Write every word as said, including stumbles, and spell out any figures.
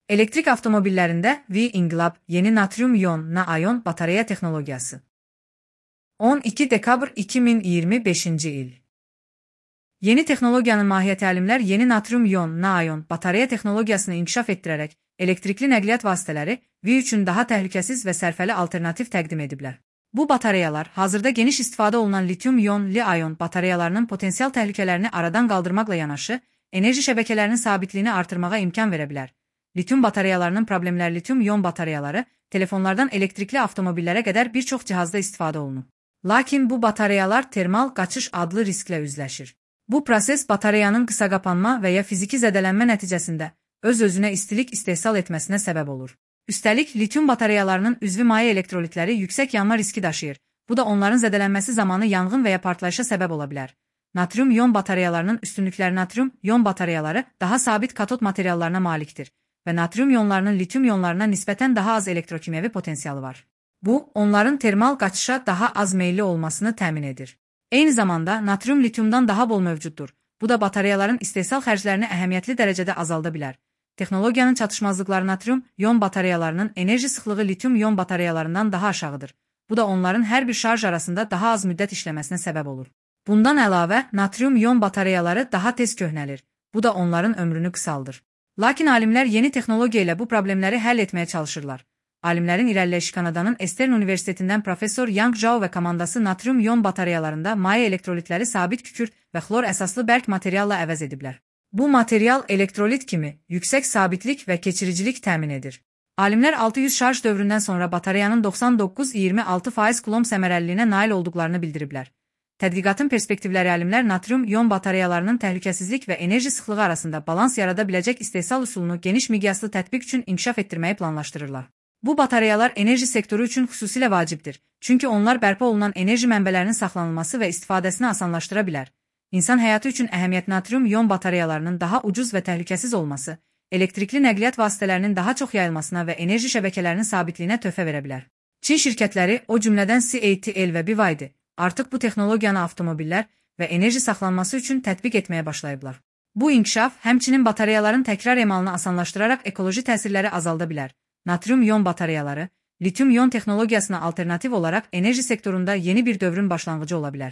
Elektrik avtomobillərində V-İnqilab yeni natrium-ion-na-ayon batareya texnologiyası. on iki dekabr iki min iyirmi beşinci il. Yeni texnologiyanın mahiyyəti alimlər yeni natrium-ion-na-ayon batareya texnologiyasını inkişaf etdirərək elektrikli nəqliyyat vasitələri V üçün daha təhlükəsiz və sərfəli alternativ təqdim ediblər. Bu batareyalar hazırda geniş istifadə olunan litium-ion-li-ayon batareyalarının potensial təhlükələrini aradan qaldırmaqla yanaşı, enerji şəbəkələrinin sabitliyini artırmağa imkan verə bilər. Litium batareyalarının problemləri litium-ion batareyaları, telefonlardan elektrikli avtomobillərə qədər bir çox cihazda istifadə olunur. Lakin bu batareyalar termal qaçış adlı risklə üzləşir. Bu proses batareyanın qısa qapanma və ya fiziki zədələnmə nəticəsində öz-özünə istilik istehsal etməsinə səbəb olur. Üstəlik, litium batareyalarının üzvü maye elektrolitləri yüksək yanma riski daşıyır. Bu da onların zədələnməsi zamanı yanğın və ya partlayışa səbəb ola bilər. Natrium-ion batareyalarının üstünlükləri natrium-ion batareyaları daha sabit katod materiallarına malikdir və natrium ionlarının litium ionlarına nisbətən daha az elektrokimyəvi potensialı var. Bu, onların termal qaçışa daha az meyilli olmasını təmin edir. Eyni zamanda, natrium litiumdan daha bol mövcuddur. Bu da batareyaların istehsal xərclərini əhəmiyyətli dərəcədə azalda bilər. Texnologiyanın çatışmazlıqları natrium-ion batareyalarının enerji sıxlığı litium-ion batareyalarından daha aşağıdır. Bu da onların hər bir şarj arasında daha az müddət işləməsinə səbəb olur. Bundan əlavə, natrium-ion batareyaları daha tez köhnəlir. Bu da onların ömrünü qısaldır. Lakin alimlər yeni texnologiya ilə bu problemləri həll etməyə çalışırlar. Alimlərin irəliləyişi Kanadanın Eastern Universitetindən professor Yang Zhao və komandası natrium-ion batareyalarında maye elektrolitləri sabit kükürt və xlor əsaslı bərk materialla əvəz ediblər. Bu material elektrolit kimi yüksək sabitlik və keçiricilik təmin edir. Alimlər altı yüz şarj dövründən sonra batareyanın doxsan doqquz iyirmi altı faiz kulomb səmərəliliyinə nail olduqlarını bildiriblər. Tədqiqatın perspektivləri alimlər natrium-ion batareyalarının təhlükəsizlik və enerji sıxlığı arasında balans yarada biləcək istehsal üsulunu geniş miqyaslı tətbiq üçün inkişaf etdirməyi planlaşdırırlar. Bu batareyalar enerji sektoru üçün xüsusilə vacibdir, çünki onlar bərpa olunan enerji mənbələrinin saxlanılması və istifadəsini asanlaşdıra bilər. İnsan həyatı üçün əhəmiyyət natrium-ion batareyalarının daha ucuz və təhlükəsiz olması, elektrikli nəqliyyat vasitələrinin daha çox yayılmasına və enerji şəbəkələrinin sabitliyinə töhfə verə bilər. Çin şirkətləri, o cümlədən C A T L və B Y D, artıq bu texnologiyanı avtomobillər və enerji saxlanması üçün tətbiq etməyə başlayıblar. Bu inkişaf, həmçinin batareyaların təkrar emalını asanlaşdıraraq ekoloji təsirləri azalda bilər. Natrium-ion batareyaları, litium-ion texnologiyasına alternativ olaraq enerji sektorunda yeni bir dövrün başlanğıcı ola bilər.